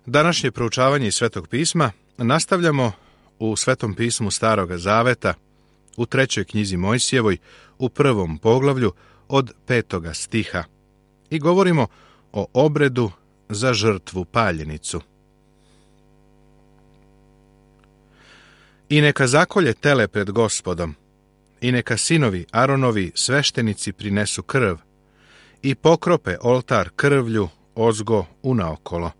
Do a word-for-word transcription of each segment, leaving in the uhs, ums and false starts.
Današnje proučavanje iz Svetog pisma nastavljamo u Svetom pismu Staroga Zaveta, u trećoj knjizi Mojsijevoj, u prvom poglavlju od petoga stiha. I govorimo o obredu za žrtvu paljenicu. I neka zakolje tele pred Gospodom, i neka sinovi Aronovi sveštenici prinesu krv, i pokrope oltar krvlju ozgo unaokolo,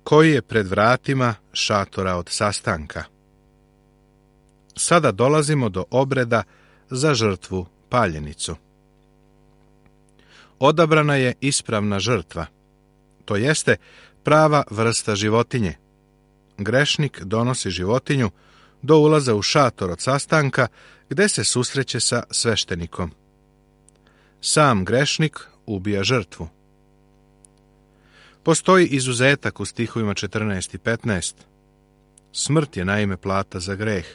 koji je pred vratima šatora od sastanka. Sada dolazimo do obreda za žrtvu paljenicu. Odabrana je ispravna žrtva, to jeste prava vrsta životinje. Grešnik donosi životinju do ulaza u šator od sastanka, gde se susreće sa sveštenikom. Sam grešnik ubija žrtvu. Postoji izuzetak u stihovima četrnaest i petnaest. Smrt je naime plata za greh.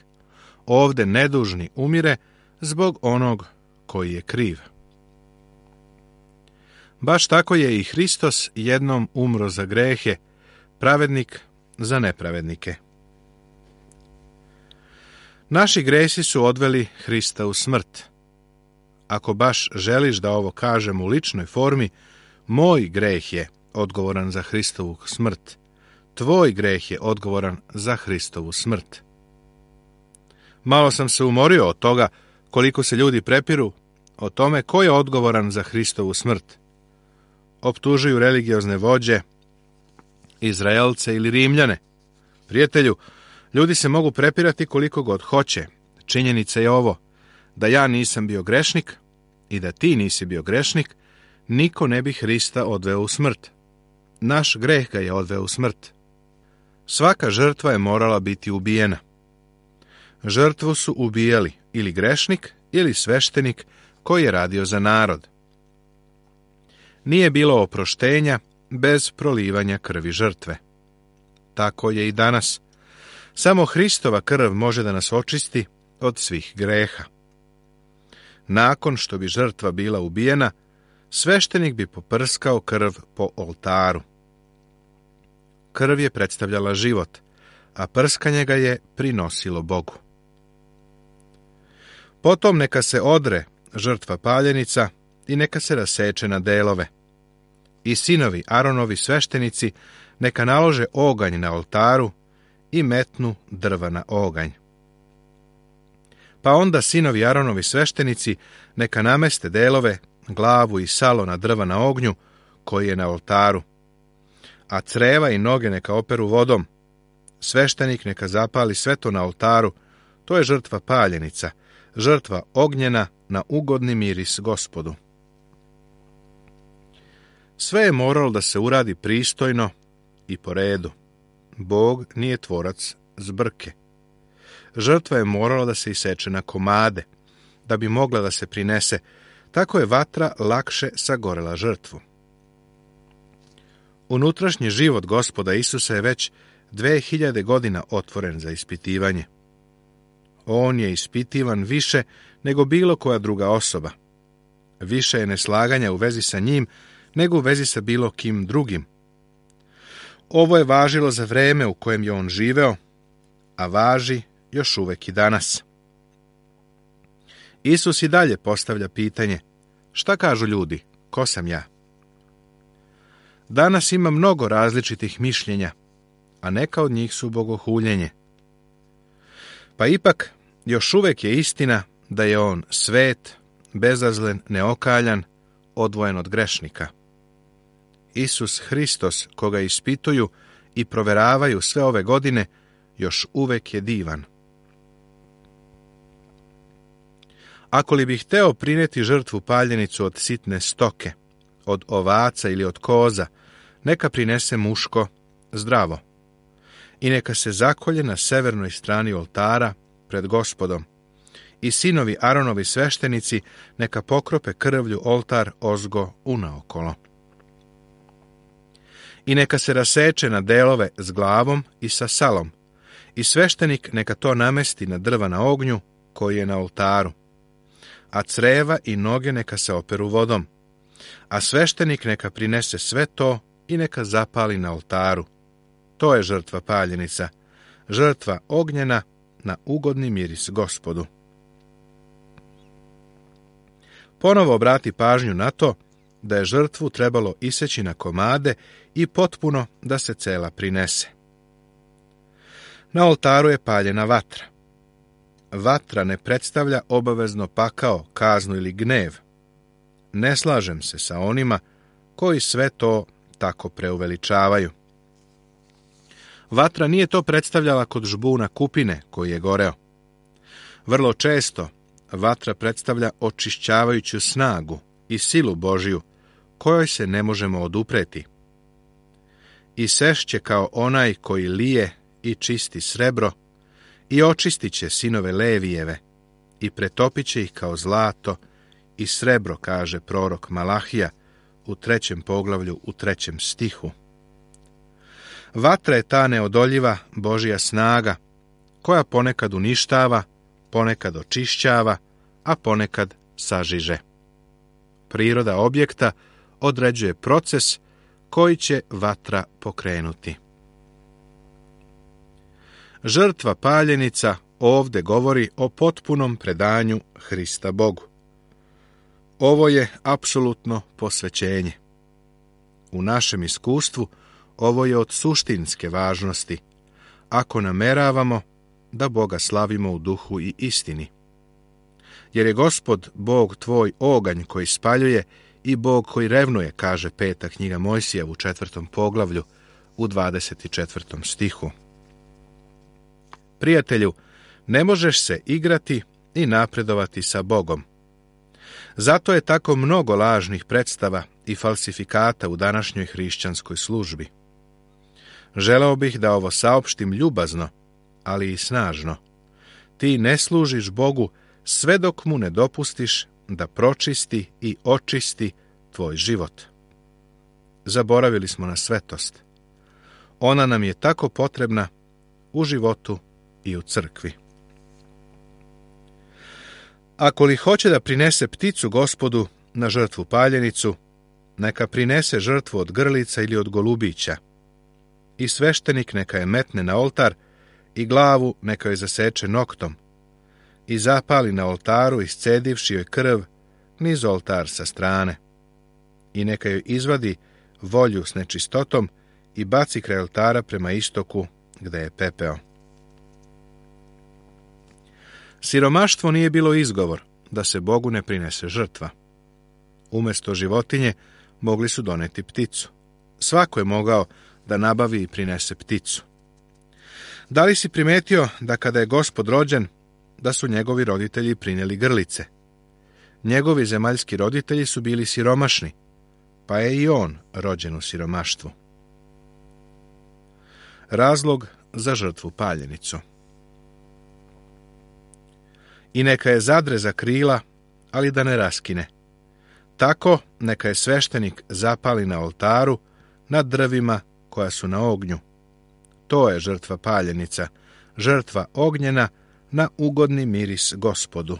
Ovde nedužni umire zbog onog koji je kriv. Baš tako je i Hristos jednom umro za grehe, pravednik za nepravednike. Naši gresi su odveli Hrista u smrt. Ako baš želiš da ovo kažem u ličnoj formi, moj greh je odgovoran za Hristovu smrt. Tvoj greh je odgovoran za Hristovu smrt. Malo sam se umorio od toga koliko se ljudi prepiru o tome ko je odgovoran za Hristovu smrt. Optužuju religiozne vođe, Izraelce ili Rimljane. Prijatelju, ljudi se mogu prepirati koliko god hoće. Činjenica je ovo, da ja nisam bio grešnik i da ti nisi bio grešnik, niko ne bi Hrista odveo u smrt. Naš greh ga je odveo u smrt. Svaka žrtva je morala biti ubijena. Žrtvu su ubijali ili grešnik ili sveštenik koji je radio za narod. Nije bilo oproštenja bez prolivanja krvi žrtve. Tako je i danas. Samo Hristova krv može da nas očisti od svih greha. Nakon što bi žrtva bila ubijena, sveštenik bi poprskao krv po oltaru. Krv je predstavljala život, a prskanje ga je prinosilo Bogu. Potom neka se odre žrtva paljenica i neka se raseče na delove. I sinovi Aronovi sveštenici neka nalože oganj na oltaru i metnu drva na oganj. Pa onda sinovi Aronovi sveštenici neka nameste delove, glavu i salo na drva na ognju koji je na oltaru, a creva i noge neka operu vodom. Sveštenik neka zapali sve to na oltaru, to je žrtva paljenica, žrtva ognjena na ugodni miris Gospodu. Sve je moralo da se uradi pristojno i po redu. Bog nije tvorac zbrke. Žrtva je morala da se iseče na komade, da bi mogla da se prinese, tako je vatra lakše sagorela žrtvu. Unutrašnji život Gospoda Isusa je već dve hiljade godina otvoren za ispitivanje. On je ispitivan više nego bilo koja druga osoba. Više je neslaganja u vezi sa njim nego u vezi sa bilo kim drugim. Ovo je važilo za vreme u kojem je on živeo, a važi još uvek i danas. Isus i dalje postavlja pitanje: šta kažu ljudi, ko sam ja? Danas ima mnogo različitih mišljenja, a neka od njih su bogohuljenje. Pa ipak, još uvek je istina da je on svet, bezazlen, neokaljan, odvojen od grešnika. Isus Hristos, koga ispituju i proveravaju sve ove godine, još uvek je divan. Ako li bih hteo prineti žrtvu paljenicu od sitne stoke, od ovaca ili od koza, neka prinese muško, zdravo. I neka se zakolje na severnoj strani oltara pred Gospodom. I sinovi Aronovi sveštenici neka pokrope krvlju oltar ozgo unaokolo. I neka se raseče na delove s glavom i sa salom. I sveštenik neka to namesti na drva na ognju koji je na oltaru. A creva i noge neka se operu vodom. A sveštenik neka prinese sve to i neka zapali na oltaru. To je žrtva paljenica, žrtva ognjena na ugodni miris Gospodu. Ponovo obrati pažnju na to da je žrtvu trebalo iseći na komade i potpuno da se cela prinese. Na oltaru je paljena vatra. Vatra ne predstavlja obavezno pakao, kaznu ili gnev. Ne slažem se sa onima koji sve to tako preuveličavaju. Vatra nije to predstavljala kod žbuna kupine koji je goreo. Vrlo često vatra predstavlja očišćavajuću snagu i silu Božju, kojoj se ne možemo odupreti. I sešće kao onaj koji lije i čisti srebro, i očistit će sinove Levijeve, i pretopit će ih kao zlato i srebro, kaže prorok Malahija u trećem poglavlju u trećem stihu. Vatra je ta neodoljiva Božja snaga, koja ponekad uništava, ponekad očišćava, a ponekad sažiže. Priroda objekta određuje proces koji će vatra pokrenuti. Žrtva paljenica ovdje govori o potpunom predanju Hrista Bogu. Ovo je apsolutno posvećenje. U našem iskustvu ovo je od suštinske važnosti, ako nameravamo da Boga slavimo u duhu i istini. Jer je Gospod Bog tvoj oganj koji spaljuje i Bog koji revnuje, kaže peta knjiga Mojsija u četvrtom poglavlju u dvadeset četvrtom stihu. Prijatelju, ne možeš se igrati i napredovati sa Bogom. Zato je tako mnogo lažnih predstava i falsifikata u današnjoj hrišćanskoj službi. Želeo bih da ovo saopštim ljubazno, ali i snažno. Ti ne služiš Bogu sve dok mu ne dopustiš da pročisti i očisti tvoj život. Zaboravili smo na svetost. Ona nam je tako potrebna u životu i u crkvi. Ako li hoće da prinese pticu Gospodu na žrtvu paljenicu, neka prinese žrtvu od grlica ili od golubića. I sveštenik neka je metne na oltar i glavu neka joj zaseče noktom i zapali na oltaru iscedivši joj krv niz oltar sa strane. I neka joj izvadi volju s nečistotom i baci kraj oltara prema istoku gde je pepeo. Siromaštvo nije bilo izgovor da se Bogu ne prinese žrtva. Umjesto životinje mogli su doneti pticu. Svako je mogao da nabavi i prinese pticu. Da li si primetio da kada je Gospod rođen, da su njegovi roditelji prinijeli grlice? Njegovi zemaljski roditelji su bili siromašni, pa je i on rođen u siromaštvu. Razlog za žrtvu paljenicu. I neka je zadre za krila, ali da ne raskine. Tako neka je sveštenik zapali na oltaru nad drvima koja su na ognju. To je žrtva paljenica, žrtva ognjena na ugodni miris Gospodu.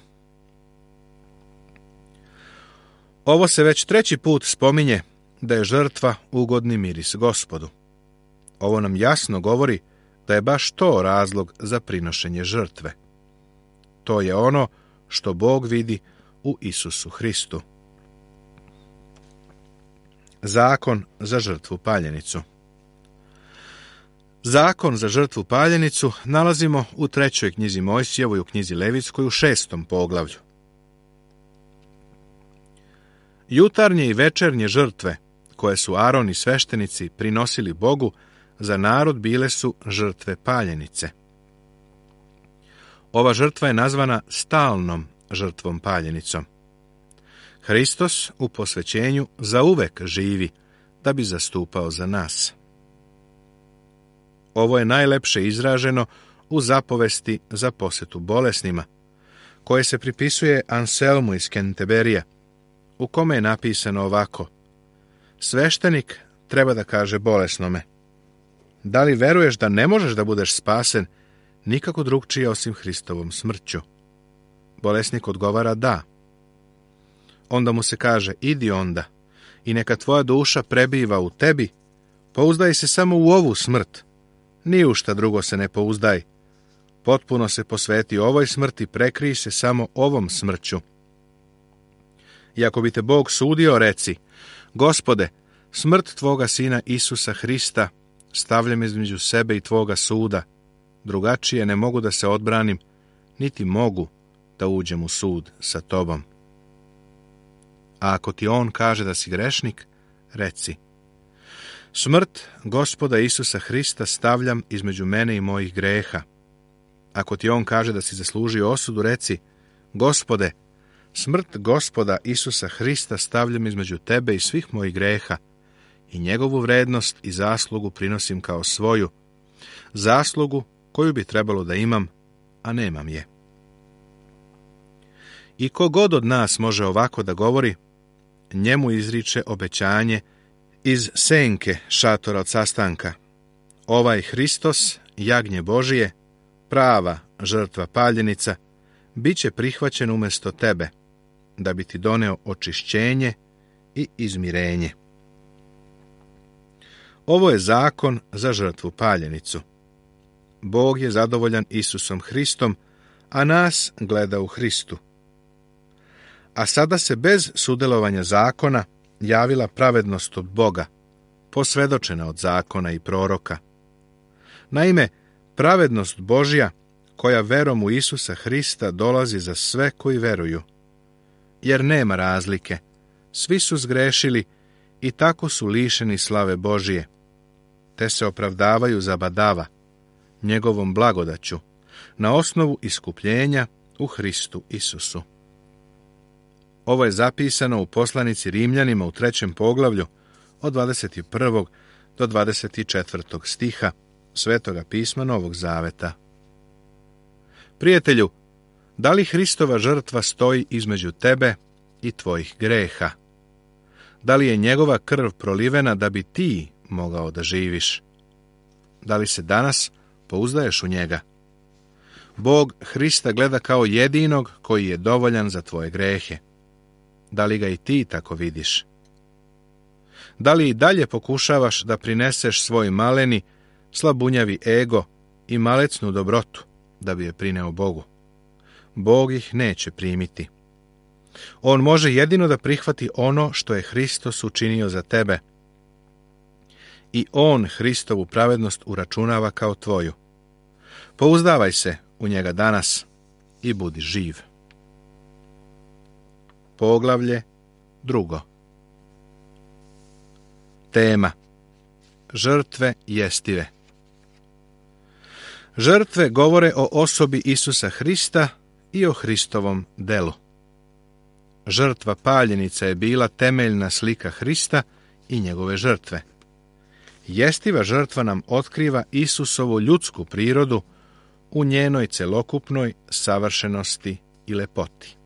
Ovo se već treći put spominje da je žrtva ugodni miris Gospodu. Ovo nam jasno govori da je baš to razlog za prinošenje žrtve. To je ono što Bog vidi u Isusu Hristu. Zakon za žrtvu paljenicu. Zakon za žrtvu paljenicu nalazimo u trećoj knjizi Mojsijevoj, u knjizi Levitskoj, u šestom poglavlju. Jutarnje i večernje žrtve, koje su Aron i sveštenici prinosili Bogu, za narod bile su žrtve paljenice. Ova žrtva je nazvana stalnom žrtvom paljenicom. Hristos u posvećenju zauvek živi da bi zastupao za nas. Ovo je najlepše izraženo u zapovesti za posjetu bolesnima, koje se pripisuje Anselmu iz Kenteberija, u kome je napisano ovako: sveštenik treba da kaže bolesnome: da li veruješ da ne možeš da budeš spasen nikako drugčije osim Hristovom smrću? Bolesnik odgovara da. Onda mu se kaže: idi onda i neka tvoja duša prebiva u tebi, pouzdaj se samo u ovu smrt, Ni u šta drugo se ne pouzdaj. Potpuno se posveti ovoj smrti, prekrij se samo ovom smrću. I ako bi te Bog sudio, reci: Gospode, smrt Tvoga Sina Isusa Hrista stavljam između sebe i Tvoga suda. Drugačije ne mogu da se odbranim, niti mogu da uđem u sud sa Tobom. A ako ti on kaže da si grešnik, reci: Smrt Gospoda Isusa Hrista stavljam između mene i mojih greha. Ako ti on kaže da si zaslužio osudu, reci: Gospode, smrt Gospoda Isusa Hrista stavljam između tebe i svih mojih greha i njegovu vrednost i zaslugu prinosim kao svoju, zaslugu koju bi trebalo da imam, a nemam je. I ko god od nas može ovako da govori, njemu izriče obećanje iz senke šatora od sastanka: ovaj Hristos, jagnje Božije, prava žrtva paljenica, bit će prihvaćen umjesto tebe, da bi ti doneo očišćenje i izmirenje. Ovo je zakon za žrtvu paljenicu. Bog je zadovoljan Isusom Hristom, a nas gleda u Hristu. A sada se bez sudjelovanja zakona javila pravednost od Boga, posvjedočena od zakona i proroka. Naime, pravednost Božja, koja verom u Isusa Hrista dolazi za sve koji veruju. Jer nema razlike, svi su zgrešili i tako su lišeni slave Božije, te se opravdavaju za badava, njegovom blagodaću, na osnovu iskupljenja u Hristu Isusu. Ovo je zapisano u poslanici Rimljanima u trećem poglavlju od dvadeset prvog do dvadeset četvrtog stiha Svetoga pisma Novog Zaveta. Prijatelju, da li Hristova žrtva stoji između tebe i tvojih greha? Da li je njegova krv prolivena da bi ti mogao da živiš? Da li se danas pouzdaješ u njega? Bog Hrista gleda kao jedinog koji je dovoljan za tvoje grehe. Da li ga i ti tako vidiš? Da li i dalje pokušavaš da prineseš svoj maleni, slabunjavi ego i malecnu dobrotu da bi je prineo Bogu? Bog ih neće primiti. On može jedino da prihvati ono što je Hristos učinio za tebe. I on Hristovu pravednost uračunava kao tvoju. Pouzdavaj se u njega danas i budi živ. Poglavlje drugo. Tema: žrtve jestive. Žrtve govore o osobi Isusa Hrista i o Hristovom delu. Žrtva paljenica je bila temeljna slika Hrista i njegove žrtve. Jestiva žrtva nam otkriva Isusovu ljudsku prirodu u njenoj celokupnoj savršenosti i lepoti.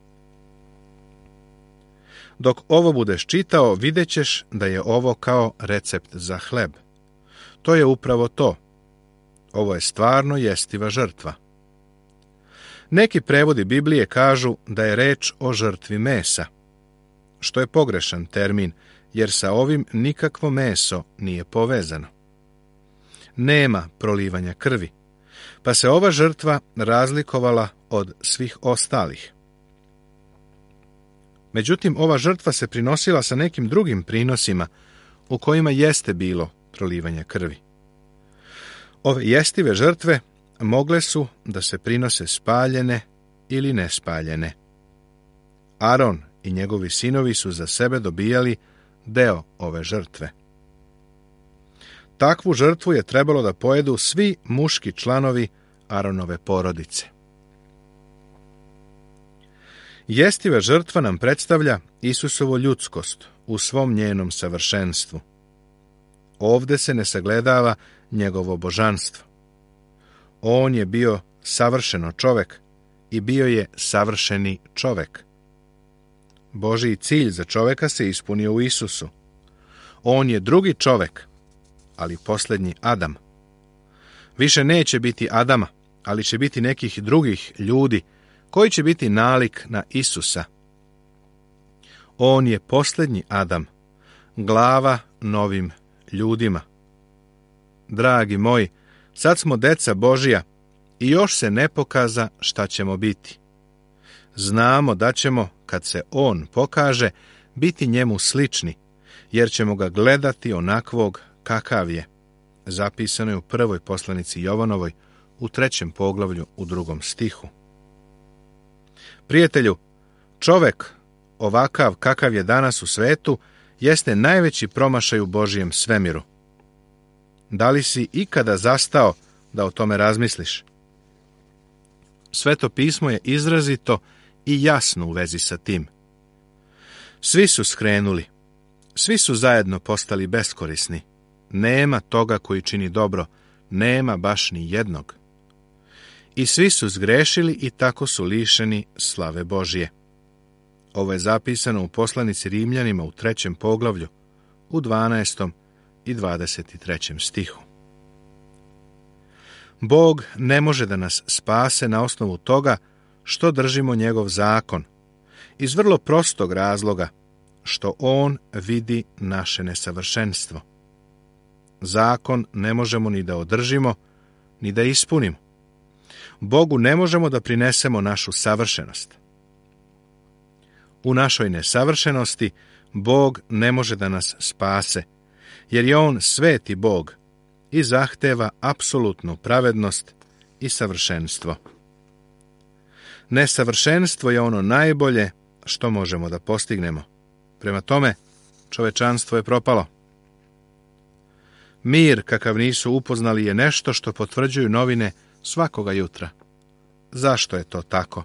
Dok ovo budeš čitao, vidjet ćeš da je ovo kao recept za hleb. To je upravo to. Ovo je stvarno jestiva žrtva. Neki prevodi Biblije kažu da je reč o žrtvi mesa, što je pogrešan termin, jer sa ovim nikakvo meso nije povezano. Nema prolivanja krvi, pa se ova žrtva razlikovala od svih ostalih. Međutim, ova žrtva se prinosila sa nekim drugim prinosima u kojima jeste bilo prolivanja krvi. Ove jestive žrtve mogle su da se prinose spaljene ili nespaljene. Aron i njegovi sinovi su za sebe dobijali deo ove žrtve. Takvu žrtvu je trebalo da pojedu svi muški članovi Aronove porodice. Jestiva žrtva nam predstavlja Isusovu ljudskost u svom njenom savršenstvu. Ovde se ne sagledava njegovo božanstvo. On je bio savršeno čovek i bio je savršeni čovek. Božji cilj za čoveka se ispunio u Isusu. On je drugi čovek, ali posljednji Adam. Više neće biti Adama, ali će biti nekih drugih ljudi koji će biti nalik na Isusa. On je posljednji Adam, glava novim ljudima. Dragi moji, Sad smo deca Božija i još se ne pokaza šta ćemo biti. Znamo da ćemo, kad se On pokaže, biti njemu slični, jer ćemo ga gledati onakvog kakav je. Zapisano je u prvoj poslanici Jovanovoj, u trećem poglavlju, u drugom stihu. Prijatelju, čovek ovakav kakav je danas u svetu jeste najveći promašaj u Božijem svemiru. Da li si ikada zastao da o tome razmisliš? Sveto pismo je izrazito i jasno u vezi sa tim. Svi su skrenuli, svi su zajedno postali beskorisni. Nema toga koji čini dobro, nema baš ni jednog. I svi su zgrešili i tako su lišeni slave Božije. Ovo je zapisano u poslanici Rimljanima u trećem poglavlju, u dvanaestom i dvadeset trećem stihu. Bog ne može da nas spase na osnovu toga što držimo njegov zakon, iz vrlo prostog razloga, što on vidi naše nesavršenstvo. Zakon ne možemo ni da održimo, ni da ispunimo. Bogu ne možemo da prinesemo našu savršenost. U našoj nesavršenosti Bog ne može da nas spase, jer je on sveti Bog i zahteva apsolutnu pravednost i savršenstvo. Nesavršenstvo je ono najbolje što možemo da postignemo. Prema tome, čovečanstvo je propalo. Mir kakav nisu upoznali je nešto što potvrđuju novine svakoga jutra. Zašto je to tako?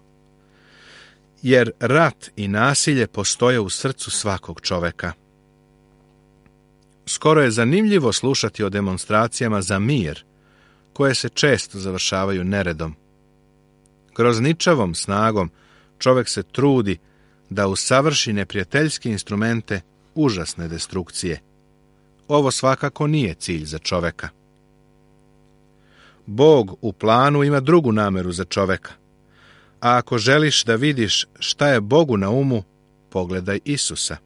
Jer rat i nasilje postoje u srcu svakog čoveka. Skoro je zanimljivo slušati o demonstracijama za mir, koje se često završavaju neredom. Grozničavom snagom čovek se trudi da usavrši neprijateljske instrumente užasne destrukcije. Ovo svakako nije cilj za čoveka. Bog u planu ima drugu nameru za čoveka. A ako želiš da vidiš šta je Bogu na umu, pogledaj Isusa.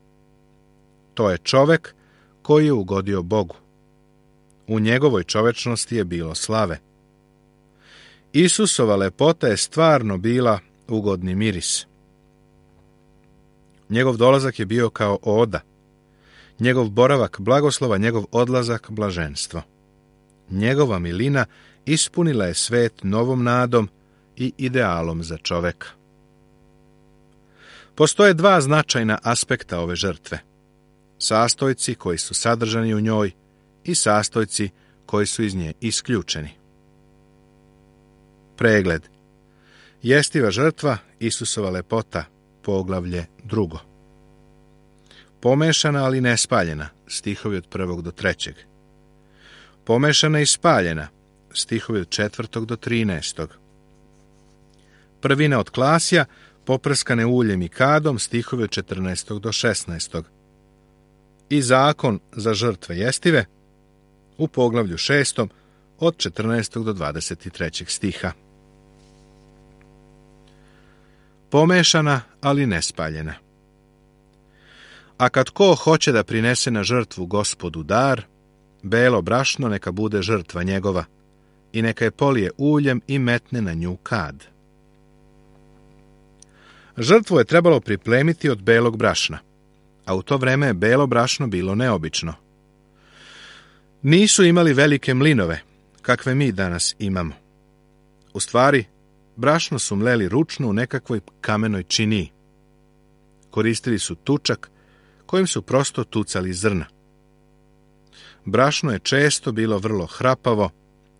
To je čovek koji je ugodio Bogu. U njegovoj čovečnosti je bilo slave. Isusova lepota je stvarno bila ugodni miris. Njegov dolazak je bio kao oda. Njegov boravak blagoslova, njegov odlazak blaženstvo. Njegova milina ispunila je svet novom nadom i idealom za čoveka. Postoje dva značajna aspekta ove žrtve. Sastojci koji su sadržani u njoj i sastojci koji su iz nje isključeni. Pregled. Jestiva žrtva, Isusova lepota, poglavlje drugo. Pomešana ali ne spaljena, stihovi od prvog do trećeg. Pomešana i spaljena, stihovi od četvrtog do trinaestog. Prvina od klasja, poprskane uljem i kadom, stihovi od četrnaestog do šesnaestog. I zakon za žrtve jestive, u poglavlju šestom, od četrnaestog do dvadeset trećeg stiha. Pomešana, ali ne spaljena. A kad ko hoće da prinese na žrtvu Gospodu dar, belo brašno neka bude žrtva njegova, i neka je polije uljem i metne na nju kad. Žrtvu je trebalo priplemiti od belog brašna, a u to vreme je belo brašno bilo neobično. Nisu imali velike mlinove, kakve mi danas imamo. U stvari, brašno su mleli ručno u nekakvoj kamenoj činiji. Koristili su tučak, kojim su prosto tucali zrna. Brašno je često bilo vrlo hrapavo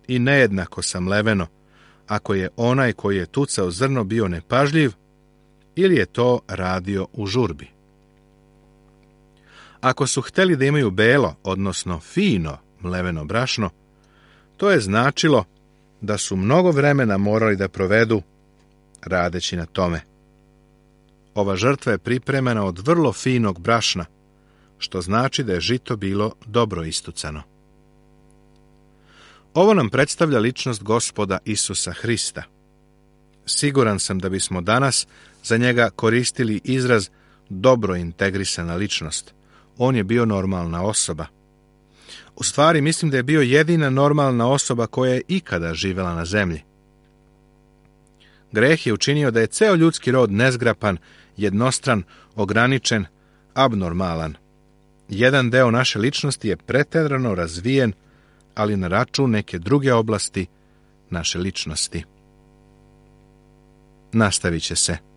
i nejednako samleveno, ako je onaj koji je tucao zrno bio nepažljiv ili je to radio u žurbi. Ako su hteli da imaju belo, odnosno fino mleveno brašno, to je značilo da su mnogo vremena morali da provedu radeći na tome. Ova žrtva je pripremena od vrlo finog brašna, što znači da je žito bilo dobro istucano. Ovo nam predstavlja ličnost Gospoda Isusa Hrista. Siguran sam da bismo danas za njega koristili izraz dobro integrisana ličnost. On je bio normalna osoba. U stvari, mislim da je bio jedina normalna osoba koja je ikada živjela na zemlji. Greh je učinio da je ceo ljudski rod nezgrapan, jednostran, ograničen, abnormalan. Jedan deo naše ličnosti je preterano razvijen, ali na račun neke druge oblasti naše ličnosti. Nastavit će se.